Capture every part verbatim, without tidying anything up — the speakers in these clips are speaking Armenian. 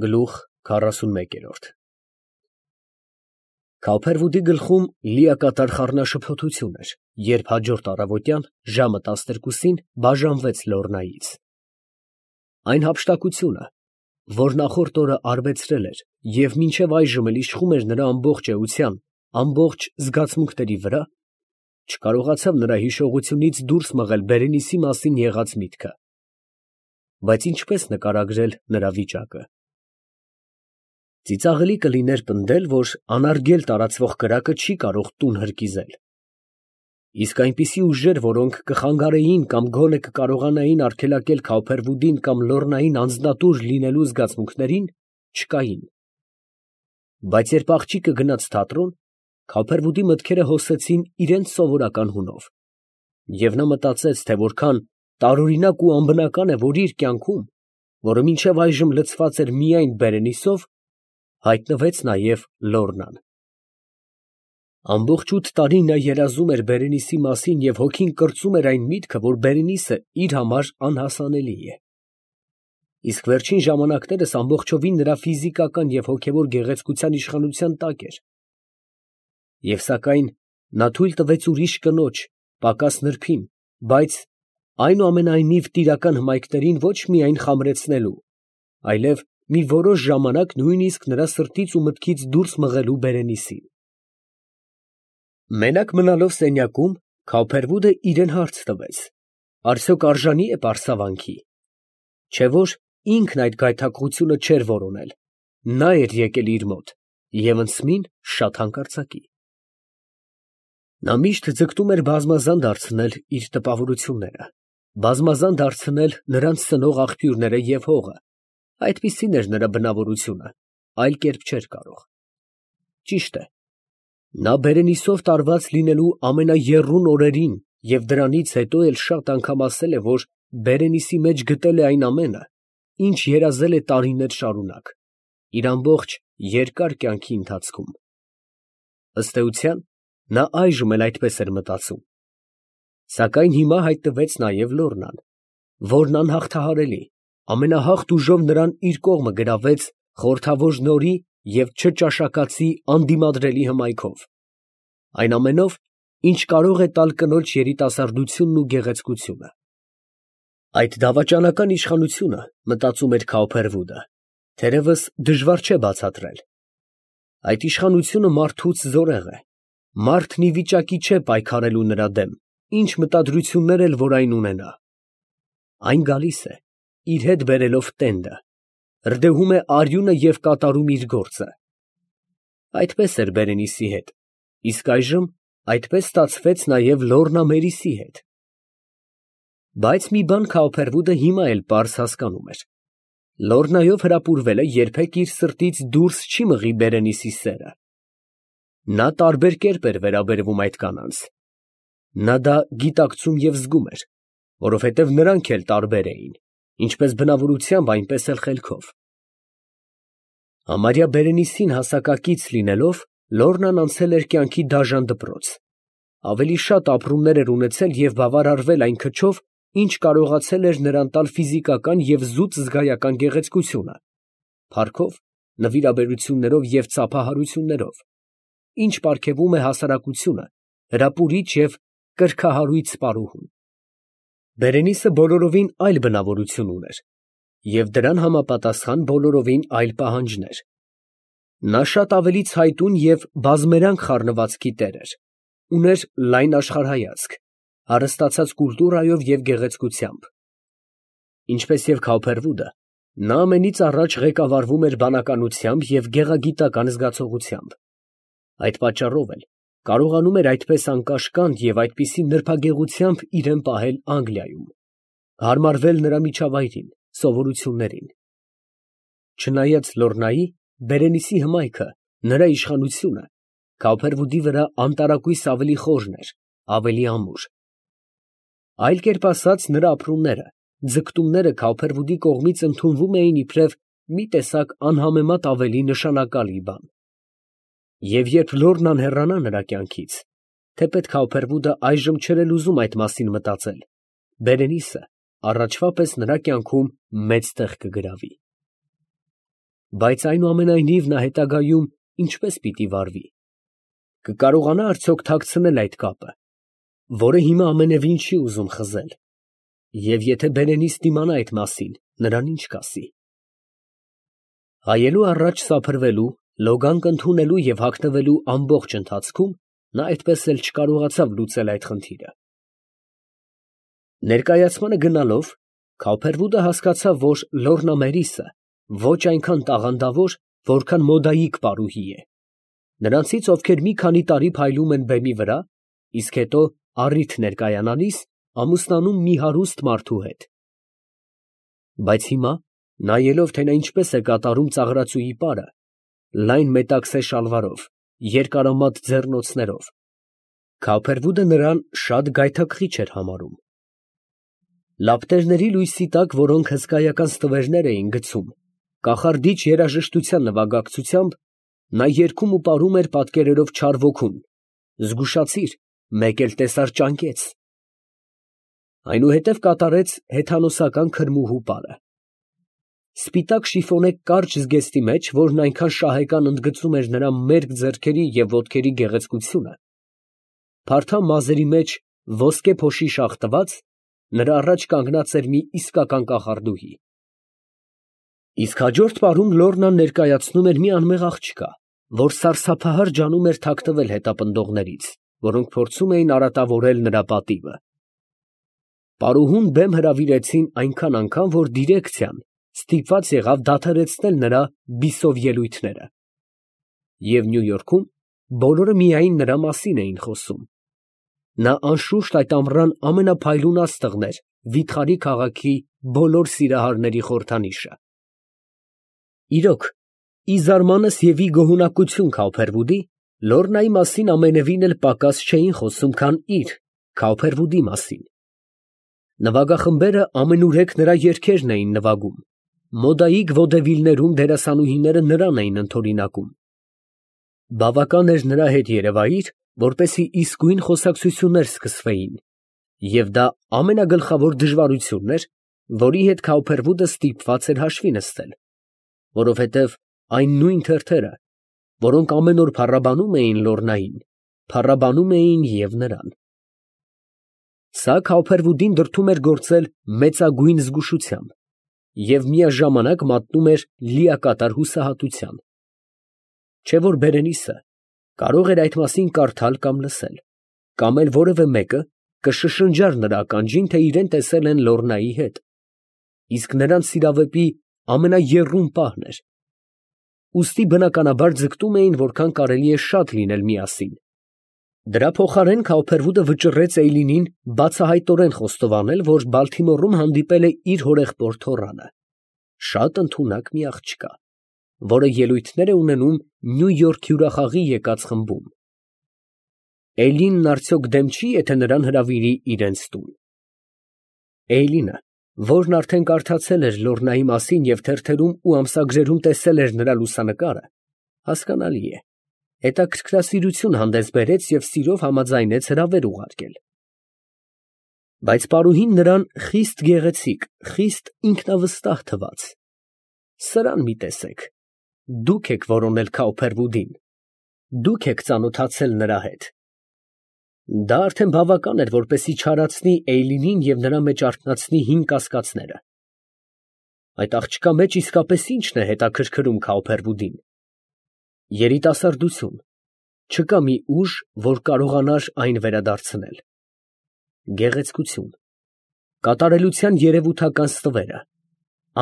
Գլուխ քառասունմեկ Քավփերվուդի գլխում լիակատար խառնաշփոթություն էր, երբ հաջորդ առավոտյան ժամը տասներկուսին բաժանվեց Լոռնայից. այն հափշտակությունը, որ նախորդ օրը արբեցրել էր և մինչև այժմ էլ իշխում էր նրա ամբողջ էության, ամբողջ զգացմունքների վրա, չկարողացավ նրա հիշողությունից դուրս մղել Բերենիցի մասին եղած միտքը. բայց ինչպես նկարագրել նրա վիճակը։ Ծիծաղելի կլիներ պնդել, որ անարգել տարածվող կրակը չի կարող տուն հրկիզել։ Իսկ այնպիսի ուժեր, որոնք կխանգարեին կամ գոնե կկարողանային արգելակել Քավփերվուդին կամ Լոռնային անձնատուր լինելու զգացմունքներին, չկային։ Բայց երբ աղջիկը գնաց թատրոն, Քավփերվուդի մտքերը հոսեցին իրենց սովորական հունով, և նա մտածեց, թե որքան տարօրինակ ու անբնական է, որ իր կյանքում, որը մինչև այժմ լցված էր միայն Բերենիցով, հայտնվեց նաև Լոռնան։ Ամբողջ ութ տարի նա երազում էր Բերենիցի մասին և հոգին կրծում էր այն միտքը, որ Բերենիցը իր համար անհասանելի է։ Իսկ վերջին ժամանակներս ամբողջովին նրա ֆիզիկական և հոգևոր գեղեցկության իշխանության տակ էր։ Եվ սակայն նա թույլ տվեց ուրիշ կնոջ, պակաս նրբին, բայց այնուամենայնիվ տիրական հմայքներին ոչ միայն խամրեցնելու, այլև մի որոշ ժամանակ նույնիսկ նրա սրտից ու մտքից դուրս մղելու Բերենիցին։ Մենակ մնալով սենյակում, Քավփերվուդը իրան հարց տվեց. արդյոք արժանի է պարսավանքի, չէ՞ որ ինքն այդ գայթակղությունը չէր որոնել, նա էր եկել իր մոտ և ընծմին շատ հանկարծակի։ Նա միշտ ձգտում էր բազմազան դարձնել իր տպավորությունները, բազմազան դարձնել նրանց սնող աղբյուրները և հողը, այդպիսին էր նրա բնավորությունը, այլ կերպ չէր կարող։ Ճիշտ է, նա Բերենիցով տարված լինելու ամենաեռուն օրերին և դրանից հետո էլ շատ անգամ ասել է, որ Բերենիցի մեջ գտել է այն ամենը, ինչ երազել է տարիներ շարունակ, իր ամբողջ երկար կյանքի ընթացքում։ Ըստ էության, նա այժմ էլ այդպես էր մտածում։ Սակայն հիմա հայտնվեց նաև Լոռնան, որն անհաղթահարելի, ամենահաղթ ուժով նրան իր կողմը գրավեց խորհրդավոր նորի և չճաշակացի անդիմադրելի հմայքով, այն ամենով, ինչ կարող է տալ կնոջ երիտասարդությունն ու գեղեցկությունը։ Այդ դավաճանական իշխանությունը, մտածում էր Քավփերվուդը, թերևս դժվար չէ բացատրել։ Այդ իշխանությունը մարդուց զորեղ է, մարդն ի վիճակի չէ պայքարելու նրա դեմ, ինչ մտադրություններ էլ որ այն ունենա։ Այն գալիս է, իր հետ բերելով տենդը, հրդեհում է արյունը և կատարում իր գործը։ Այդպես էր Բերենիցի հետ, իսկ այժմ այդպես ստացվեց նաև Լոռնա Մերիսի հետ։ Բայց մի բան Քավփերվուդը հիմա էլ պարզ հասկանում էր. Լոռնայով հրապուրվելը երբեք իր սրտից դուրս չի մղի Բերենիցի սերը։ Նա տարբեր կերպ էր վերաբերվում այդ կանանց։ Նա դա գիտակցում և զգում էր, որովհետև նրանք էլ տարբեր էին, ինչպես բնավորությամբ, այնպես էլ խելքով։ Համարյա Բերենիցին հասակակից լինելով, Լոռնան անցել էր կյանքի դաժան դպրոց, ավելի շատ ապրումներ էր ունեցել և բավարարվել այն քչով, ինչ կարողացել էր նրան տալ ֆիզիկական և զուտ զգայական գեղեցկությունը, փառքով, նվիրաբերություններով և ծափահարություններով, ինչ պարգևում է հասարակությունը, հրապուրիչ և կրքահարույց պարուհուն։ Բերենիցը բոլորովին այլ բնավորություն ուներ և դրան համապատասխան բոլորովին այլ պահանջներ։ Նա շատ ավելի ցայտուն և բազմերանգ խառնվածքի տեր էր, ուներ լայն աշխարհայացք, հարստացած կուլտուրայով և գեղեցկությամբ։ Ինչպես և Քավփերվուդը, նա ամենից առաջ ղեկավարվում էր բանականությամբ և գեղագիտական զգացողությամբ։ Այդ պատճառով էլ կարողանում էր այդպես անկաշկանդ և այդպիսի նրբագեղությամբ իրան պահել Անգլիայում, հարմարվել նրա միջավայրին, սովորություններին։ Չնայած Լոռնայի, Բերենիցի հմայքը, նրա իշխանությունը Քավփերվուդի վրա անտարակույս ավելի խորն էր, ավելի ամուր։ Այլ կերպ ասած, նրա ապրումները, ձգտումները Քավփերվուդի կողմից ընդունվում էին իբրև մի տեսակ անհամեմատ ավելի նշանակալի բան։ Եվ երբ Լոռնան հեռանա նրա կյանքից, թեպետ Քավփերվուդը այժմ չէր էլ ուզում այդ մասին մտածել, Բերենիցը առաջվա պես նրա կյանքում մեծ տեղ կգրավի։ բայց այնուամենայնիվ նա հետագայում ինչպես պիտի վարվի, կկարողանա արդյոք թաքցնել այդ կապը, որը հիմա ամենևին չի ուզում խզել, և եթե բերենից դիմանա այդ մասին, նրան ինչ կասի։ Հայելու առաջ սափրվելու, լոգանք ընդունելու և հագնվելու ամբողջ ընթացքում նա այդպես էլ չկարողացավ լուծել այդ խնդիրը։ Ներկայացմանը գնալով, Քավփերվուդը հասկացավ, որ Լոռնա Մերիսը ոչ այնքան տաղանդավոր, որքան մոդայիկ պարուհի է, նրանցից, ովքեր մի քանի տարի փայլում են բեմի վրա, իսկ հետո առիթ ներկայանալիս ամուսնանում մի հարուստ մարդու հետ։ Բայց հիմա, նայելով, թե նա ինչպես է կատարում ծաղրածուի պարը, լայն մետաքսե շալվարով, երկարամատ ձեռնոցներով, Քավփերվուդը նրան շատ գայթակղիչ էր համարում։ Լապտերների լույսի տակ, որոնք հսկայական ստվերներ էին գցում, կախարդիչ երաժշտության նվագակցությամբ, նա երգում ու պարում էր պատկերերով չար ոգուն, զգուշացիր, մեկ էլ տեսար ճանկեց։ Այնուհետև կատարեց հեթանոսական քրմուհու պարը։ Սպիտակ շիֆոնե կարճ զգեստի մեջ, որն այնքան շահեկան ընդգծում էր նրա մերկ ձեռքերի և ոտքերի գեղեցկությունը, փարթամ մազերի մեջ ոսկե փոշի շաղ տված, նրա առաջ կանգնած էր մի իսկական կախարդուհի։ Իսկ հաջորդ պարում Լոռնան ներկայացնում էր մի անմեղ աղջկա, որ սարսափահար ջանում էր թաքնվել հետապնդողներից, որոնք փորձում էին արատավորել նրա պատիվը։ Պարուհուն բեմ հրավիրեցին այնքան անգամ, որ դիրեկցիան ստիպված եղավ դադարեցնել նրա բիսով ելույթները։ Եվ Նյու Յորքում բոլորը միայն նրա մասին էին խոսում։ Նա անշուշտ այդ ամռան ամենափայլուն աստղն էր վիթխարի քաղաքի բոլոր սիրահարների խորհրդանիշը։ Իրոք, ի զարմանս և ի գոհունակություն Քավփերվուդի, Լոռնայի մասին ամենևին էլ պակաս չէին խոսում, քան իր՝ Քավփերվուդի մասին։ Նվագախմբերը ամենուրեք նրա երգերն էին նվագում, մոդայիկ վոդևիլներում դերասանուհիները նրան էին ընդօրինակում։ Բավական էր նրա հետ երևայիր, որպեսզի իսկույն խոսակցություններ սկսվեին, և դա ամենագլխավոր դժվարությունն էր, որի հետ Քավփերվուդը ստիպված էր հաշվի նստել, որովհետև այն նույն թերթերը, որոնք ամեն օր փառաբանում էին Լոռնային, փառաբանում էին և նրան։ Սա Քավփերվուդին դրդում էր գործել մեծագույն զգուշությամբ և միաժամանակ մատնում էր լիակատար հուսահատության։ Չէ՞ որ Բերենիսը կարող էր այդ մասին կարդալ կամ լսել, կամ էլ որևէ մեկը կշշնջար նրա ականջին, թե իրեն տեսել են Լոռնայի հետ, իսկ նրանց սիրավեպի ամենաեռուն պահն էր, ուստի բնականաբար ձգտում էին որքան կարելի է շատ լինել միասին։ Դրա փոխարեն Քավփերվուդը վճռեց Էյլինին բացահայտորեն խոստովանել, որ Բալթիմորում հանդիպել է իր հորեղբոր թոռանը, շատ ընդունակ մի աղջկա, որը ելույթներ է ունենում Նյու Յորք հյուրախաղի եկած խմբում։ Էյլինն արդյոք դեմ չի, եթե նրան հրավիրի իրենց տուն։ Էյլինը, որն արդեն կարդացել էր Լոռնայի մասին և թերթերում ու ամսագրերում տեսել էր նրա լուսանկարը, հասկանալի է, հետաքրքրասիրություն հանդես բերեց և սիրով համաձայնեց հրավեր ուղարկել։ Բայց պարուհին նրան խիստ գեղեցիկ, խիստ ինքնավստահ թվաց։ Սրան մի տեսեք, դուք եք որոնել Քավփերվուդին, դուք եք ծանոթացել նրա հետ։ Դա արդեն բավական էր, որպեսզի չարացնի Էյլինին և նրա մեջ արթնացնի հին կասկածները։ Այդ աղջկա մեջ իսկապես ի՞նչն է հետաքրքրում Քավփերվուդին։ Երիտասարդություն, չկա մի ուժ, որ կարողանար այն վերադարձնել։ Գեղեցկություն, կատարելության երևութական ստվերը,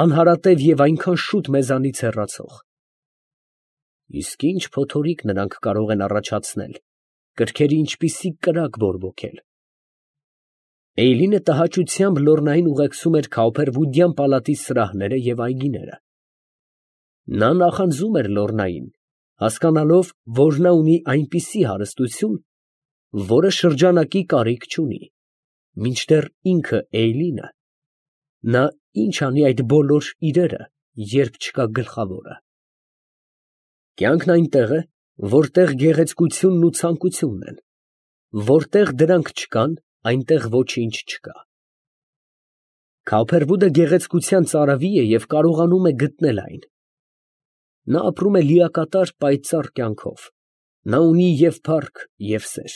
անհարատև և այնքան շուտ մեզանից հեռացող։ Իսկ ինչ փոթորիկ նրանք կարող են առաջացնել, կրքերի ինչպիսի կրակ բորբոքել։ Էյլինը տհաճությամբ Լոռնային ուղեկցում էր Քավփերվուդյան պալատի սրահները և այգիները։ Նա նախանձում էր Լոռնային, հասկանալով, որ նա ունի այնպիսի հարստություն, որը շրջանակի կարիք չունի, մինչդեռ ինքը Էյլինը, նա ինչ անի այդ բոլոր իրերը, երբ չկա գլխավորը։ Կյանքն այնտեղ է, որտեղ գեղեցկությունն ու ցանկությունն են, որտեղ դրանք չկան, այնտեղ ոչինչ չկա։ Քավփերվուդը գեղեցկության ծարավի է և կարողանում է գտնել այն։ Նա ապրում է լիակատար պայծառ կյանքով, նա ունի և փառք, և սեր,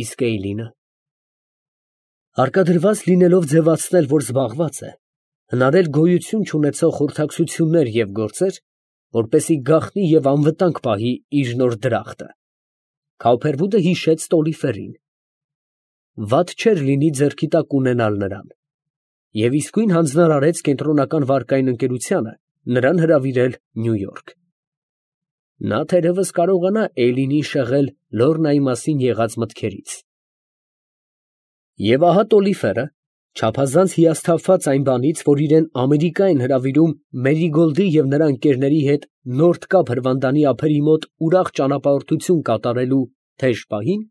իսկ Էյլինը… Հարկադրված լինելով ձևացնել, որ զբաղված է, հնարել գոյություն չունեցող խորհրդակցություններ և գործեր, որպեսզի գաղտնի և անվտանգ պահի իր նոր դրախտը, Քավփերվուդը հիշեց Տոլիֆերին. վատ չէր լինի ձեռքի տակ ունենալ նրան, և իսկույն հանձնարարեց կենտրոնական վարկային ընկերությանը նրան հրավիրել Նյու Յորք. նա թերևս կարողանա Էյլինին շեղել Լոռնայի մասին եղած մտքերից… Եվ ահա Տոլիֆերը, չափազանց հիասթափված այն բանից, որ իրան Ամերիկա են հրավիրում Մերիգոլդի և նրա ընկերների հետ Նորթ Կապ հրվանդանի ափերի մոտ ուրախ ճանապարհորդություն կատարելու թեժ պահին,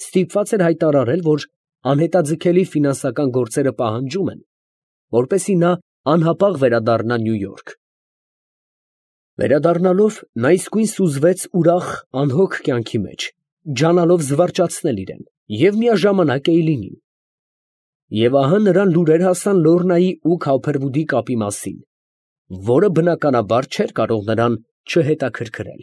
ստիպված էր հայտարարել, որ անհետաձգելի ֆինանսական գործերը պահանջում են, որպեսզի նա անհապաղ վերադառնա Նյու Յորք… Վերադառնալով, նա իսկույն սուզվեց ուրախ, անհոգ կյանքի մեջ, ջանալով զվարճացնել իրան և միաժամանակ Էյլինին… Եվ ահա նրան լուրեր հասան Լոռնայի ու Քավփերվուդի կապի մասին, որը բնականաբար չէր կարող նրան չհետաքրքրել…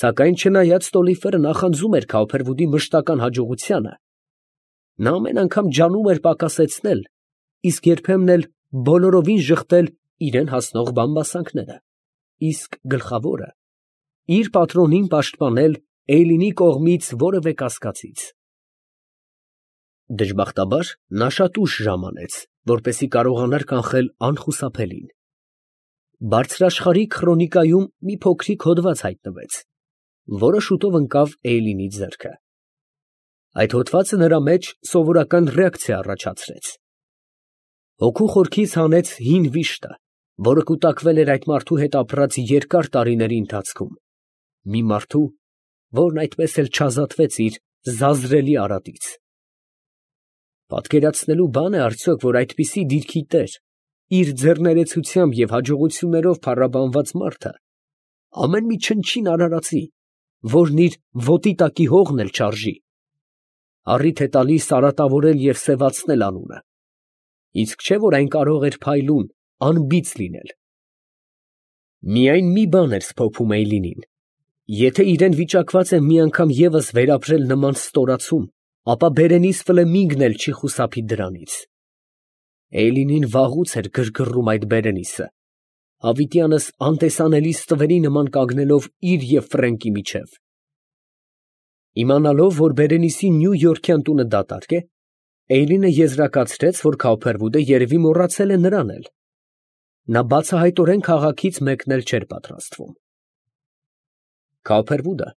Սակայն չնայած Տոլիֆերը նախանձում էր Քավփերվուդի մշտական հաջողությանը, նա ամեն անգամ ջանում էր պակասեցնել, իսկ երբեմն էլ բոլորովին ժխտել իրան հասնող բամբասանքները, իսկ գլխավորը, իր պատրոնին պաշտպանել Էյլինի կողմից որևէ կասկածից… Դժբախտաբար, նա շատ ուշ ժամանեց, որպեսզի կարողանար կանխել անխուսափելին… Բարձրաշխարհիկ խրոնիկայում մի փոքրիկ հոդված հայտնվեց, որը շուտով ընկավ Էյլինի ձեռքը… Այդ հոդվածը նրա մեջ սովորական ռեակցիա առաջացրեց… Հոգու խորքից հանեց հին վիշտը, որը կուտակվել էր այդ մարդու հետ ապրած երկար տարիների ընթացքում, մի մարդու, որն այդպես էլ չազատվեց իր զազրելի արատից… Պատկերացնելու բան է արդյոք, որ այդպիսի դիրքի տեր, իր ձեռներեցությամբ և հաջողություններով փառաբանված մարդը ամեն մի չնչին արարածի, որն իր ոտի տակի հողն էլ չարժի, առիթ է տալիս արատավորել և սևացնել անունը, իսկ չէ՞ որ այն կարող էր փայլուն, անբիծ լինել… Միայն մի բան էր սփոփում Էյլինին. եթե իրան վիճակված է մի անգամ ևս վերապրել նման ստորացում, ապա Բերենիս Ֆլեմինգն էլ չի խուսափի դրանից… Էյլինին վաղուց էր գրգռում այդ Բերենիսը, հավիտյանս անտեսանելի ստվերի նման կանգնելով իր և Ֆրենկի միջև… Իմանալով, որ Բերենիսի նյույորքյան տունը դատարկ է, Էյլինը եզրակացրեց, որ Քավփերվուդը երևի մոռացել է նրան էլ… Նա բացահայտորեն քաղաքից մեկնել չէր պատրաստվում… Քավփերվուդը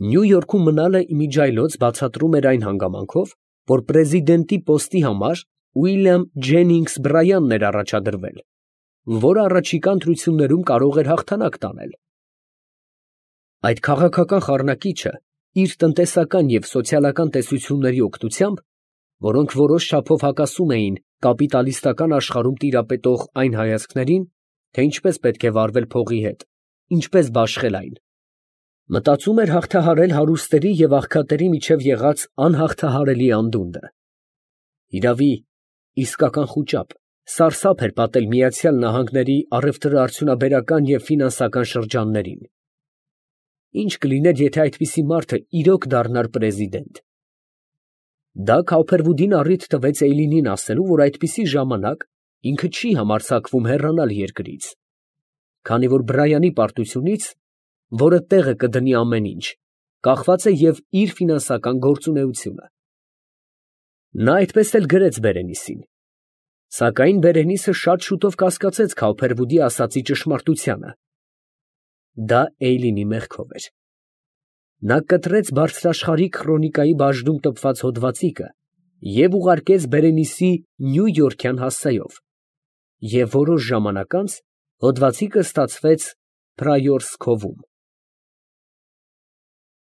Նյու Յորքում մնալը իմիջիայլոց բացատրում էր այն հանգամանքով, որ պրեզիդենտի պոստի համար Ուիլյամ Ջենինգս Բրայանն էր առաջադրվել, որը առաջիկա ընտրություններում կարող էր հաղթանակ տանել… Այդ քաղաքական խառնակիչը իր տնտեսական և սոցիալական տեսությունների օգնությամբ, որոնք որոշ չափով հակասում էին կապիտալիստական աշխարհում տիրապետող այն հայացքներին, թե ինչպես պետք է վարվել փողի հետ, ինչպես բաշխել այն, մտածում էր հաղթահարել հարուստների և աղքատների միջև եղած անհաղթահարելի անդունդը… Իրավի, իսկական խուճապ, սարսափ էր պատել Միացյալ Նահանգների առևտրաարդյունաբերական և ֆինանսական շրջաններին… Ի՞նչ կլիներ, եթե այդպիսի մարդը իրոք դառնար պրեզիդենտ… Դա Քավփերվուդին առիթ տվեց Էյլինին ասելու, որ այդպիսի ժամանակ ինքը չի համարձակվում հեռանալ երկրից, քանի որ Բրայանի պարտությունից, որը տեղը կդնի ամեն ինչ, կախված է և իր ֆինանսական գործունեությունը… Նա այդպես էլ գրեց Բերենիսին… Սակայն Բերենիսը շատ շուտով կասկածեց Քավփերվուդի ասածի ճշմարտությանը… Դա Էյլինի մեղքով էր… Նա կտրեց բարձրաշխարհիկ խրոնիկայի բաժնում տպված հոդվածիկը և ուղարկեց Բերենիսի նյույորքյան հասցեով, և որոշ ժամանակ անց հոդվածիկը ստացվեց Փրայորս քովում…